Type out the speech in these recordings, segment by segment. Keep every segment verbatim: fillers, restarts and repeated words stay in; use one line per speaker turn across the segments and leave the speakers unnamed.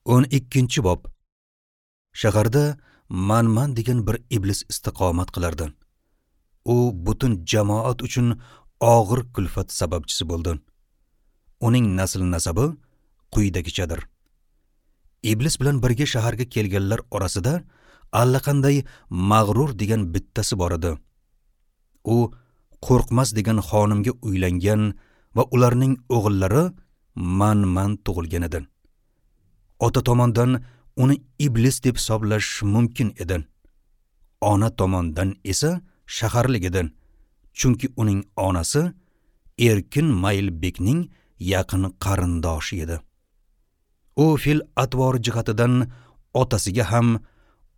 O'n ikkinchi bob. Shaharda Manman degan bir iblis istiqomat qilardi. U butun jamoat uchun og'ir kulfat sababchisi bo'ldi. Uning nasl nasabi quyidagichadir. Iblis bilan birga shaharga kelganlar orasida allaqanday mag'rur degan bittasi bor edi. U Qo'rqmas degan xonimga uylangan va ularning o'g'illari Manman tug'ilgan edi. Ota tomondan uni iblis deb hisoblash mumkin edi. Ona tomondan esa shaharlik edi. Chunki uning onasi Erkin Maylbekning yaqin qarindoshi edi. U fil atvor jihatidan otasiga ham,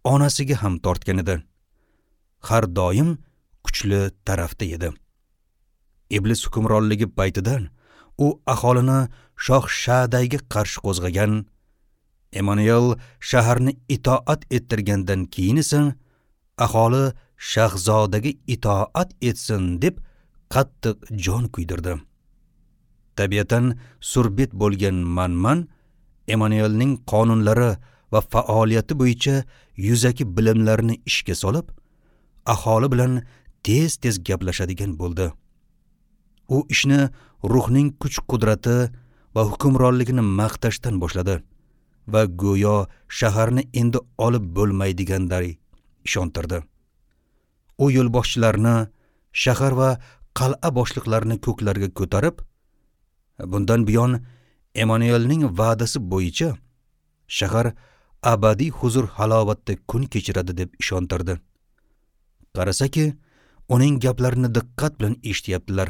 onasiga ham tortgan edi. Har doim kuchli tarafda edi. Iblis hukmronligi paytida u aholini Shoh Shadayga qarshi qo'zg'agan. Emanuel shaharni itoat ettirgandan keyin esa aholi shahzodaga itoat etsin deb qattiq jon kuydirdi. Tabiatan surbet bo'lgan Manman Emanuelning qonunlari va faoliyati bo'yicha yuzaki bilimlarini ishga solib, aholi bilan tez-tez gaplashadigan bo'ldi. U ishni ruhning kuch-qudrati va hukmronligini maqtashdan boshladi va go'yo shaharni endi olib bo'lmaydiganday ishontirdi. U yo'lboshchilarni, shahar va qal'a boshliqlarini ko'klarga ko'tarib, bundan buyon Emanuelning va'dasi bo'yicha shahar abadiy huzur halovatda kun kechiradi deb ishontirdi. Qarasaki, uning gaplarini diqqat bilan eshityaptilar.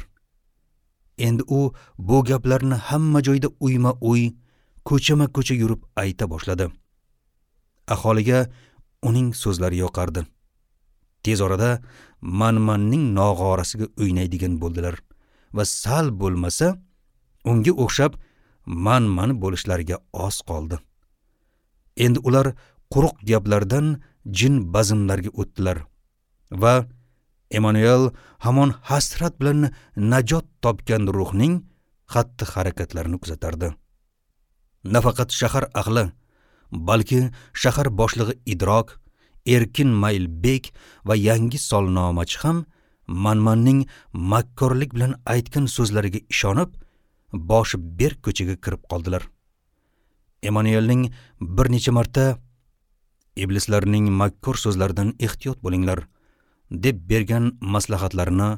Endi u bu gaplarni hamma joyda uyma-uy, ko'chama-ko'cha yurib ayta boshladi. Aholiga uning so'zlari yoqardi. Tez orada Manmanning nog'orasiga o'ynaydigan bo'ldilar va sal bo'lmasa unga o'xshab Manman bo'lishlariga oz qoldi. Endi ular quruq gaplardan jin bazmlarga o'tdilar va Emanuel hamon hasrat bilan najot topgan ruhning xatti-harakatlarini kuzatardi. Nafaqat shahar ahli, balki shahar boshlig'i Idrok, Erkin Maylbek va yangi solnomachi ham Manmanning makkorlik bilan aytgan so'zlariga ishonib, boshi berk ko'chaga kirib qoldilar. Emanuelning bir necha marta iblislarning makkor so'zlaridan ehtiyot bo'linglar deb bergan maslahatlarini,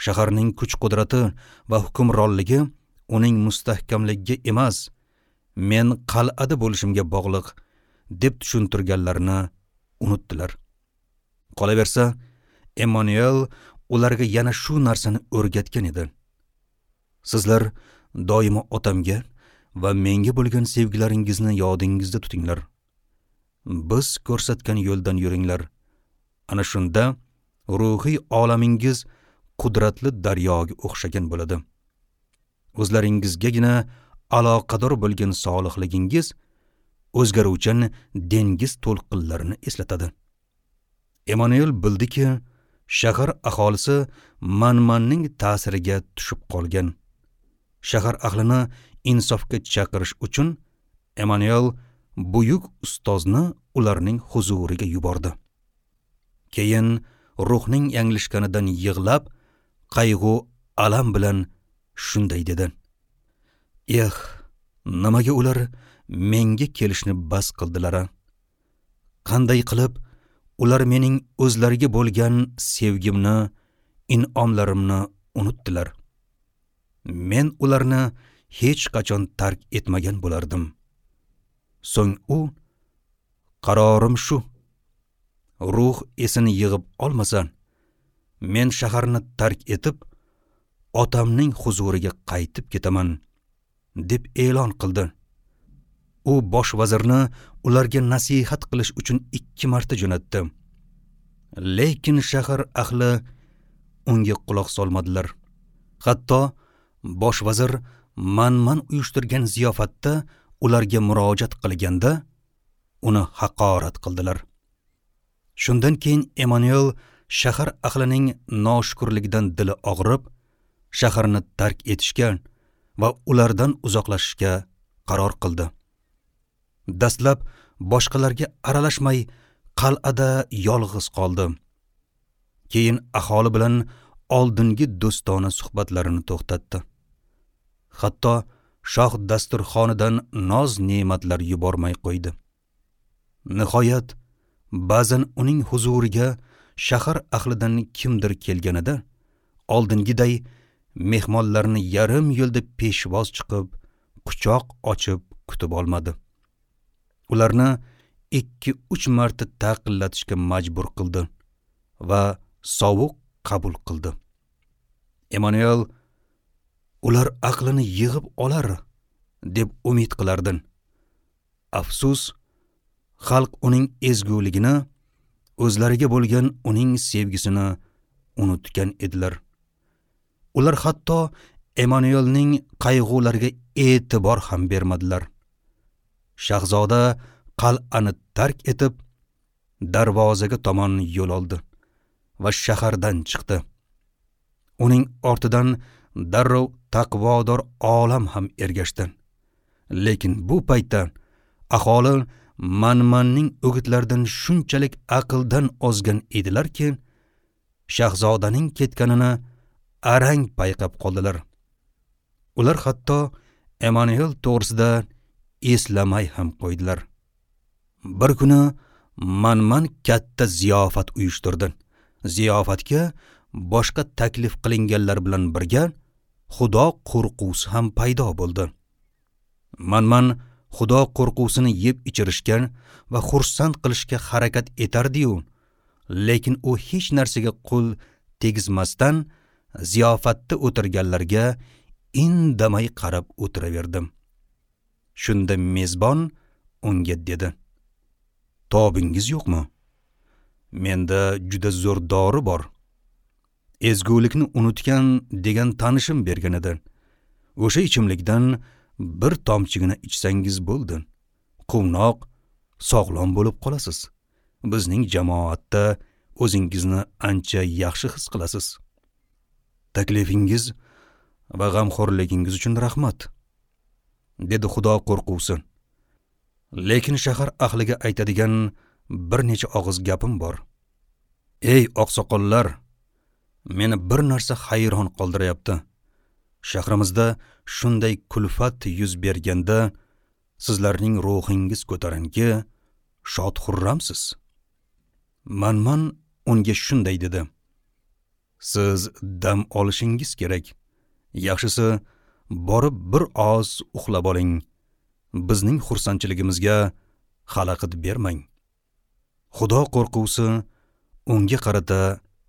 shaharning kuch-qudrati va hukmronligi uning mustahkamligiga emas, men qal'ada bo'lishimga bog'liq deb tushuntirganlarini unutdilar. Qolaversa, Emanuel ularga yana shu narsani o'rgatgan edi. Sizlar doimo otamga va menga bo'lgan sevgilaringizni yodingizda tutinglar. Biz ko'rsatgan yo'ldan yuringlar. Ana shunda ruhiy olamingiz qudratli daryoga o'xshagan bo'ladi. O'zlaringizgagina aloqador bo'lgan solihligingiz o'zgaruvchan dengiz to'lqinlarini eslatadi. Emanuel bildiki, shahar aholisi Manmanning ta'siriga tushib qolgan. Shahar ahlini insofga chaqirish uchun Emanuel buyuk ustozni ularning huzuriga yubordi. Keyin ruhning yanglishganidan yig'lab, qayg'u alam bilan shunday dedi: "Eh, nimaga ular menga kelishni bas qildilar? Qanday qilib ular mening o'zlariga bo'lgan sevgimni, in'omlarimni unutdilar? Men ularni hech qachon tark etmagan bo'lardim." So'ng u: "Qarorim shu. Ruh esini yig'ib olmasa, men shaharni tark etib, otamning huzuriga qaytib ketaman" deb e'lon qildi. U bosh vazirni ularga nasihat qilish uchun ikki marta jo'natdi. Lekin shahar ahli unga quloq solmadilar. Hatto bosh vazir Manman uyushtirgan ziyofatda ularga murojaat qilganda uni haqorat qildilar. Shundan keyin Emanuel shahar ahlining noshukrligidan dili og'rib, shaharni tark etishga va ulardan uzoqlashishga qaror qildi. Dastlab boshqalarga aralashmay qal'ada yolg'iz qoldi. Keyin aholi bilan oldingi do'stona suhbatlarini to'xtatdi. Hatto shoh dasturxonidan noz ne'matlar yubormay qo'ydi. Nihoyat ba'zan uning huzuriga shahar ahlidan kimdir kelganida oldingiday mehmonlarni yarim yo'lda peshvoz chiqib, quchoq ochib kutib olmadi. Ularni ikki uch marta taqillatishga majbur qildi va sovuq qabul qildi. Emanuel ular aqlini yig'ib olar deb umid qilardi. Afsus, xalq uning ezguligini, o'zlariga bo'lgan uning sevgisini unutgan edilar. Ular hatto Emanuelning qayg'ulariga e'tibor ham bermadilar. Shahzoda qal'ani tark etib, darvozaga tomon yo'l oldi va shahardan chiqdi. Uning ortidan darrov taqvodor olam ham ergashdi. Lekin bu paytda aholi manmanning o'gitlaridan shunchalik aqldan ozgan edilarki, shahzodaning ketganini arang payqab qoldilar. Ular hatto Emanuel to'g'risida eslamay ham qo'ydilar. Bir kuni manman katta ziyofat uyushtirdi. Ziyofatga boshqa taklif qilinganlar bilan birga Xudo qo'rquvsi ham paydo bo'ldi. Manman Xudo qo'rquvsini yeb ichirishga va xursand qilishga harakat etardi-yu, lekin u hech narsaga qo'l tegizmasdan ziyofatda o'tirganlarga indamay qarab o'tiraverdi. Shunda mezbon unga dedi: "Tobingiz yo'qmi? Menda juda zo'r dori bor. Ezgulikni unutgan degan tanishim bergan edi. O'sha ichimlikdan bir tomchigina ichsangiz bo'ldi. Quvnoq, sog'lom bo'lib qolasiz. Bizning jamoatda o'zingizni ancha yaxshi his qilasiz. Taklifingiz va g'amxo'rligingiz uchun rahmat", dedi Xudo qo'rquvsi. "Lekin shahar ahliga aytadigan bir necha og'iz gapim bor. Ey oqsoqollar, meni bir narsa hayron qoldiryapti. Shahrimizda shunday kulfat yuz berganda sizlarning ruhingiz ko'tarinki, shod xurramsiz." Manman unga shunday dedi: "Siz dam olishingiz kerak. Yaxshisi borib bir oz uxlab oling. Bizning xursandchiligimizga xalaqit bermang." Xudo qo'rquvsi unga qarata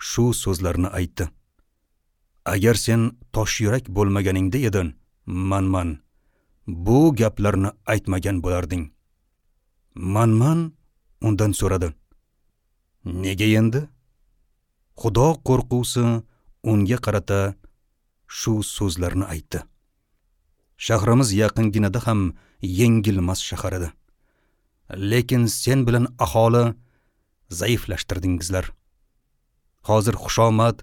shu so'zlarni aytdi: "Agar sen tosh yurak bo'lmaganingda edin, manman, bu gaplarni aytmagan bo'larding." Manman undan so'radi: "Nega endi?" Xudo qo'rquvsi unga qarata shu so'zlarni aytdi: "Shahrimiz yaqinginada ham yengilmas shahar edi. Lekin sen bilan aholi zaiflashtirdingizlar. Hozir xushomad,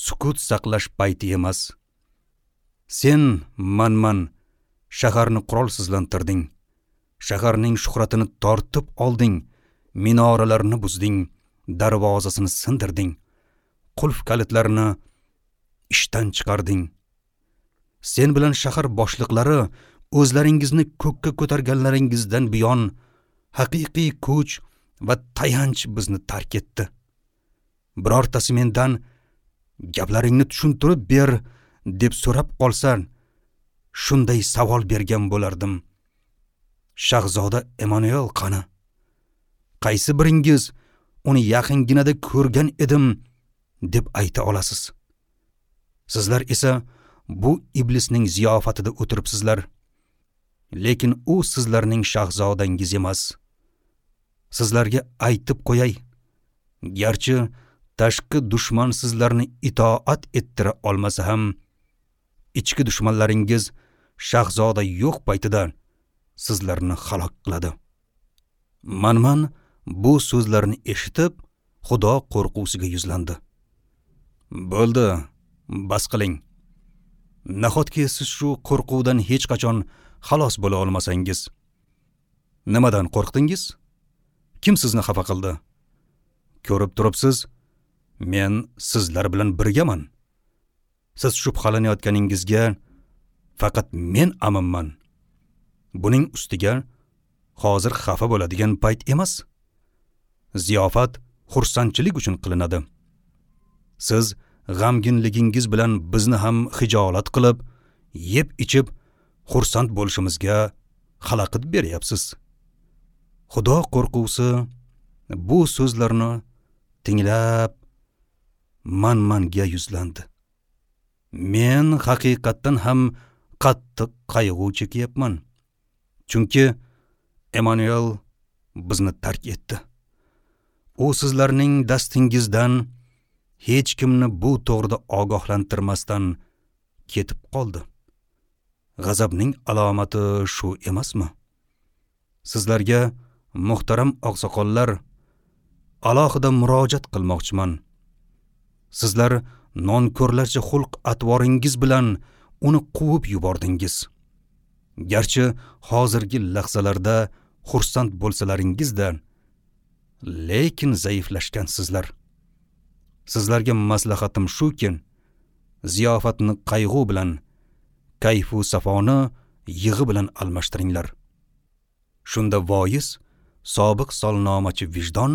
sukut saqlash payti emas. Sen manman shaharni qurolsizlantirding. Shaharning shuhratini tortib olding, minoralarni buzding, darvozasini sindirding, qulf kalitlarini ishdan chiqarding. Sen bilan shahar boshliqlari o'zlaringizni ko'kka ko'targanlaringizdan buyon haqiqiy kuch va tayanch bizni tark etdi. Birortasi mendan gaplaringni tushuntirib ber deb so'rab qolsa, shunday savol bergan bo'lardim. Shahzoda Emanuel qani? Qaysi biringiz uni yaqinginada ko'rgan edim deb ayta olasiz? Sizlar esa bu iblisning ziyofatida o'tiribsizlar. Lekin u sizlarning shahzodangiz emas. Sizlarga aytib qo'yay, garchi tashqi dushman sizlarni itoat ettira olmasa ham, ichki dushmanlaringiz shahzoda yo'q paytida sizlarni halok qiladi." Manman bu so'zlarni eshitib, Xudo qo'rquvsiga yuzlandi. "Bo'ldi, bas qiling. Nahotki siz shu qo'rquvdan hech qachon xalos bo'la olmasangiz? Nimadan qo'rqdingiz? Kim sizni xafa qildi? Ko'rib turibsiz, men sizlar bilan birgaman. Siz shubhalanayotganingizga faqat men aminman. Buning ustiga hozir xafa bo'ladigan payt emas. Ziyofat xursandchilik uchun qilinadi. Siz g'amginligingiz bilan bizni ham xijolat qilib, yeb ichib xursand bo'lishimizga xalaqit beryapsiz. Xudo qo'rquvsi bu so'zlarni tinglab man-manga yuzlandi. Men haqiqatdan ham qattiq qayg'u chekyapman. Chunki Emanuel bizni tark etdi. U sizlarning dastingizdan hech kimni bu to'g'rida ogohlantirmasdan ketib qoldi. G'azabning alomati shu emasmi? Sizlarga muhtaram oqsoqollar alohida murojaat qilmoqchiman. Sizlar nonko'rlarcha xulq atvoringiz bilan uni quvib yubordingiz. Garchi hozirgi lahzalarda xursand bo'lsalaringizda, lekin zaiflashgansizlar. Sizlarga maslahatim shuki, ziyofatni qayg'u bilan, kayfu safoni yig'i bilan almashtiringlar. Shunda voiz, sobiq solnomachi vijdon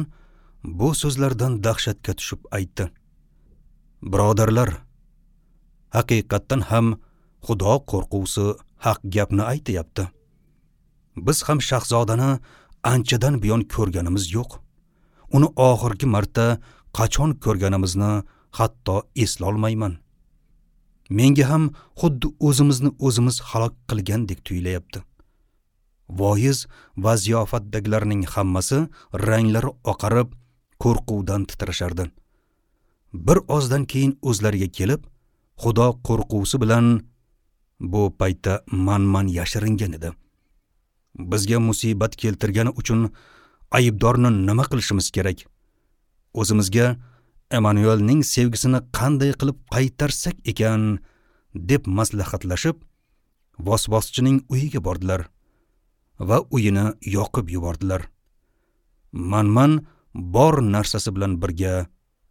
bu so'zlardan dahshatga tushib aytdi: Birodarlar, haqiqatdan ham Xudo qo'rquvsi haq gapni aytayapti. Biz ham shahzodani anchadan buyon ko'rganimiz yo'q. Uni oxirgi marta qachon ko'rganimizni hatto eslolmayman. Menga ham xuddi o'zimizni o'zimiz halok qilgandek tuyulayapti. Voiz va ziyofatdagilarning hammasi ranglari oqarib, qo'rquvdan titrashardi. Bir ozdan keyin o'zlariga kelib, Xudo qo'rquvsi bilan bu paytda man-man yashiringan edi. Bizga musibat keltirgani uchun aybdorni nima qilishimiz kerak? O'zimizga Emanuelning sevgisini qanday qilib qaytarsak ekan deb maslahatlashib, vasvaschining uyiga bordilar va uyini yoqib yubordilar. Man-man bor narsasi bilan birga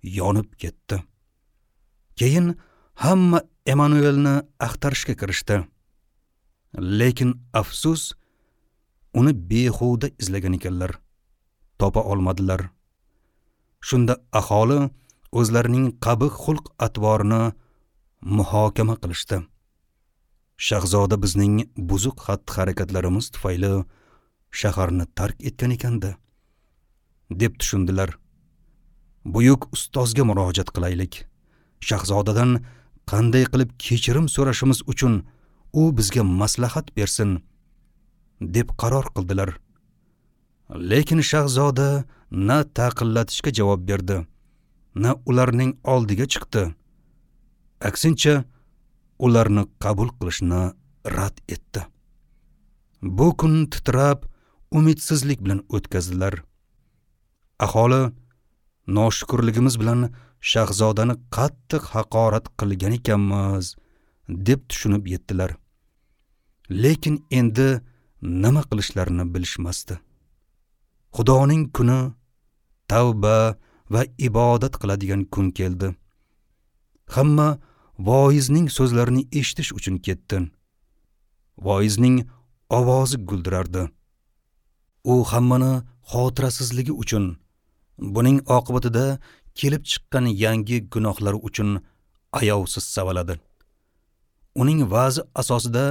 yonib ketdi. Keyin hamma Emanuelni axtarishga kirishdi. Lekin afsus, uni behuda izlagan ekanlar, topa olmadilar. Shunda aholi o'zlarining qabih xulq atvorini muhokama qilishdi. Shahzoda bizning buzuq xatti-harakatlarimiz tufayli shaharni tark etgan ekanda, deb tushundilar. Buyuk ustozga murojaat qilaylik. Shahzodadan qanday qilib kechirim so'rashimiz uchun u bizga maslahat bersin, deb qaror qildilar. Lekin shahzoda na taqillatishga javob berdi, na ularning oldiga chiqdi. Aksincha, ularni qabul qilishni rad etdi. Bu kun titrab, umidsizlik bilan o'tkazdilar. Aholi noshukrligimiz bilan shahzodani qattiq haqorat qilgan ekanmiz, deb tushunib yetdilar. Lekin endi nima qilishlarini bilishmasdi. Xudoning kuni, tavba va ibodat qiladigan kun keldi. Hamma voizning so'zlarini eshitish uchun ketdi. Voizning ovozi guldirardi. U hammani xotirasizligi uchun, buning oqibatida kelib chiqqan yangi gunohlar uchun ayovsiz savaladi. Uning va'zi asosida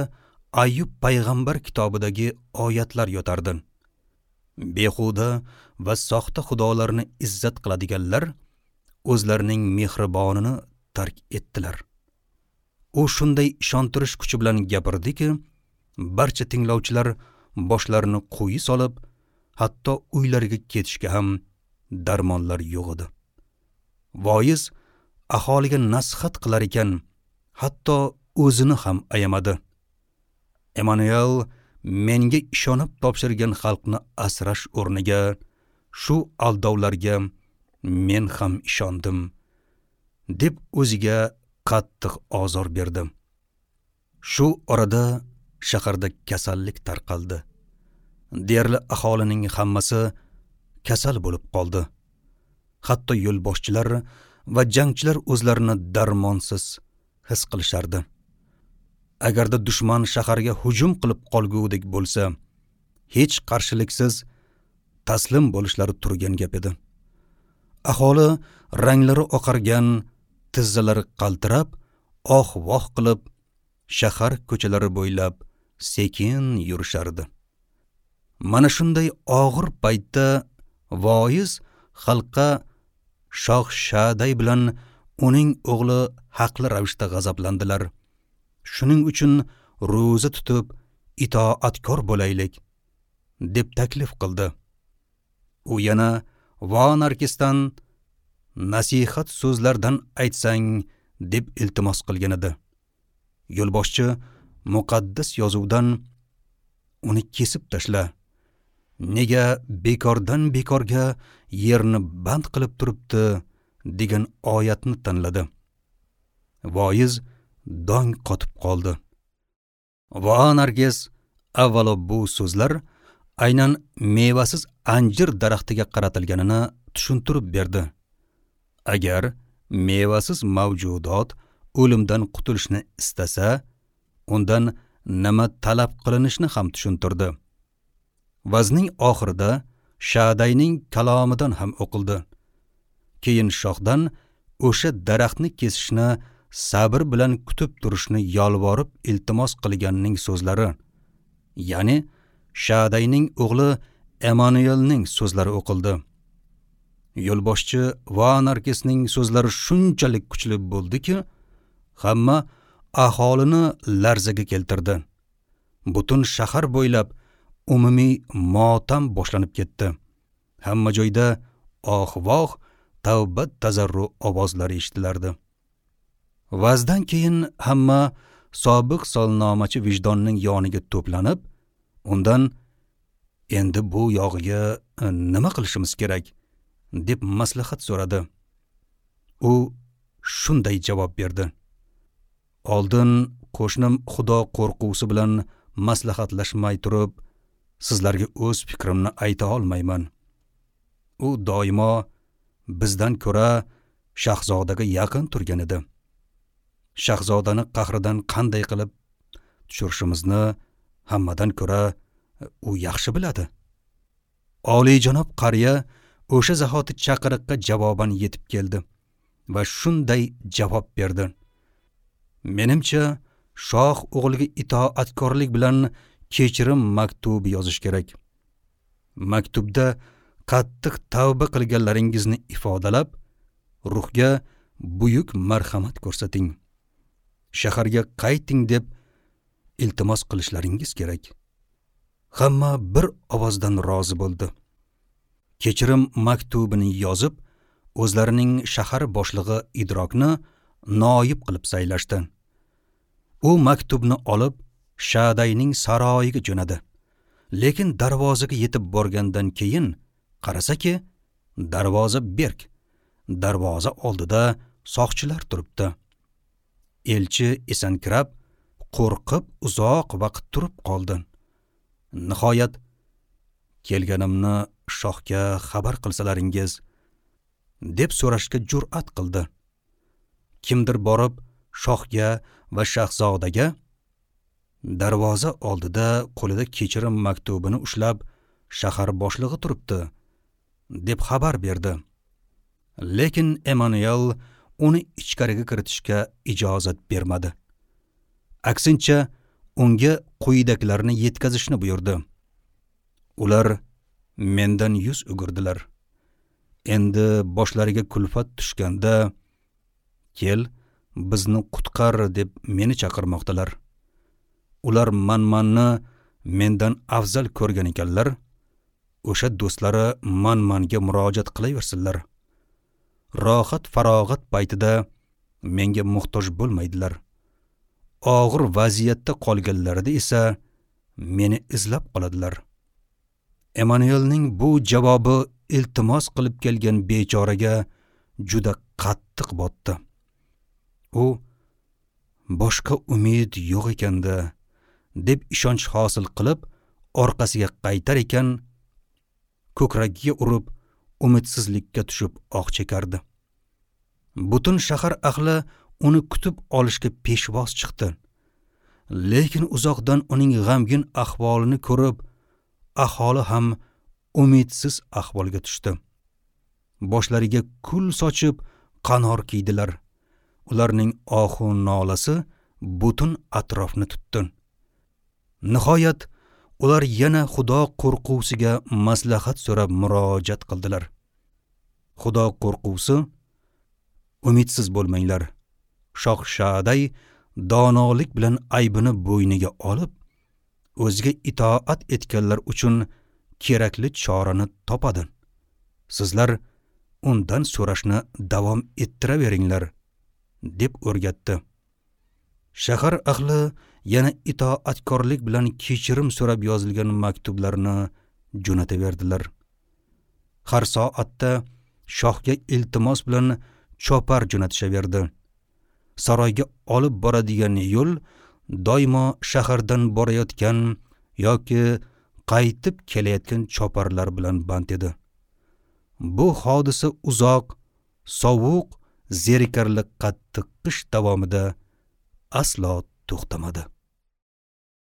Ayyub payg'ambar kitobidagi oyatlar yotardi. Behuda va soxta xudolarni izzat qiladiganlar o'zlarining mehribonini tark etdilar. U shunday ishontirish kuchi bilan gapirdiki, barcha tinglovchilar boshlarini quyi solib, hatto uylariga ketishga ham darmonlar yo'q edi. Voiz aholiga nasihat qilar ekan, hatto o'zini ham ayamadi. Emanuel menga ishonib topshirgan xalqni asrash o'rniga shu aldovlarga men ham ishondim, deb o'ziga qattiq ozor berdi. Shu orada shaharda kasallik tarqaldi. Deyarli aholining hammasi kasal bo'lib qoldi. Hatto yo'lboshchilar va jangchilar o'zlarini darmonsiz his qilishardi. Agarda dushman shaharga hujum qilib qolgudek bo'lsa, hech qarshiliksiz taslim bo'lishlari turgan gap edi. Aholi ranglari oqargan, tizzalari qaltirab, oh-voh qilib shahar ko'chalari bo'ylab sekin yurishardi. Mana shunday og'ir paytda voiz xalqqa shoh Shaday bilan uning o'g'li haqli ravishda g'azablandilar. Shuning uchun ro'za tutib itoatkor bo'laylik, deb taklif qildi. U yana va Narkisdan nasihat so'zlardan aytsang deb iltimos qilgan edi. Yo'lboshchi muqaddas yozuvdan uni kesib tashla, nega bekordan bekorga yerni band qilib turibdi degan oyatni tanladi. Voiz dong qotib qoldi. Va Nargis avvalo bu so'zlar aynan mevasiz anjir daraxtiga qaratilganini tushuntirib berdi. Agar mevasiz mavjudot o'limdan qutulishni istasa, undan nima talab qilinishini ham tushuntirdi. Vazning oxirida Shadayning kalomidan ham o'qildi. Keyin shohdan o'sha daraxtni kesishni sabr bilan kutib turishni yolvorib iltimos qilganning so'zlari, ya'ni Shadayning o'g'li Emanuelning so'zlari o'qildi. Yo'lboshchi va Narkisning so'zlari shunchalik kuchli bo'ldiki, hamma aholini larzaga keltirdi. Butun shahar bo'ylab umumiy motam boshlanib ketdi. Hamma joyda oh-voh, tavba tazarru ovozlari eshitilardi. Vazdan keyin hamma sobiq solnomachi vijdonning yoniga to'planib, undan endi bu yog'iga nima qilishimiz kerak deb maslahat so'radi. U shunday javob berdi: Oldin qo'shnim Xudo qo'rqusi bilan maslahatlashmay turib, sizlarga o'z fikrimni ayta olmayman. U doimo bizdan ko'ra shahzodaga yaqin turgan edi. Shahzodani qahridan qanday qilib tushirishimizni hammadan ko'ra u yaxshi biladi. Oliyjanob qariya o'sha zahoti chaqiriqqa javoban yetib keldi va shunday javob berdi: Menimcha, shoh o'g'liga itoatkorlik bilan kechirim maktubi yozish kerak. Maktubda qattiq tavba qilganlaringizni ifodalab, ruhga buyuk marhamat ko'rsating. Shaharga qayting deb iltimos qilishlaringiz kerak. Hamma bir ovozdan rozi bo'ldi. Kechirim maktubini yozib, o'zlarining shahar boshlig'i Idrokni noyib qilib saylashdi. U maktubni olib Shadayning saroyiga jo'nadi. Lekin darvozaga yetib borgandan keyin qarasaki, darvoza berk. Darvoza oldida soqchilar turibdi. Elchi esankirab, qo'rqib uzoq vaqt turib qoldi. Nihoyat kelganimni shohga xabar qilsalaringiz deb so'rashga jur'at qildi. Kimdir borib shohga va shahzodaga darvoza oldida qo'lida kechirim maktubini ushlab shahar boshlig'i turibdi deb xabar berdi. Lekin Emanuel uni ichkariga kiritishga ijozat bermadi. Aksincha unga quyidagilarni yetkazishni buyurdi. Ular mendan yuz o'girdilar. Endi boshlariga kulfat tushganda kel, bizni qutqar deb meni chaqirmoqdalar. Ular manmanni mendan afzal ko'rgan ekanlar, o'sha do'stlari manmanga murojaat qilaversinlar. Rohat farog'at paytida menga muhtoj bo'lmaydilar. Og'ir vaziyatda qolganlarida esa meni izlab qoladilar. Emanuelning bu javobi iltimos qilib kelgan bechoraga juda qattiq botdi. U boshqa umid yo'q ekanda deb ishonch hosil qilib, Orqasiga qaytar ekan, ko'kragiga urib, umidsizlikka tushib oh chekardi. Butun shahar ahli uni kutib olishga peshvoz chiqdi. Lekin uzoqdan uning g'amgin ahvolini ko'rib, aholi ham umidsiz ahvolga tushdi. Boshlariga kul sochib qanor kiydilar. Ularning ohu nolasi butun atrofni tutdi. Nihoyat ular yana Xudo qo'rquvsiga maslahat so'rab murojaat qildilar. Xudo qo'rquvsi: "Umidsiz bo'lmanglar. Shoh Shaday donolik bilan aybini bo'yniga olib, o'ziga itoat etganlar uchun kerakli chorani topadi. Sizlar undan so'rashni davom ettiraveringlar", deb o'rgatdi. Shahar ahli yana itoatkorlik bilan kechirim so'rab yozilgan maktublarni jo'nataverdilar. Har soatda shohga iltimos bilan chopar jo'natishaverdi. Saroyga olib boradigan yo'l doimo shahardan borayotgan yoki qaytib kelayotgan choparlar bilan band edi. Bu hodisa uzoq, sovuq, zerikarli qattiq qish davomida aslo to'xtamadi.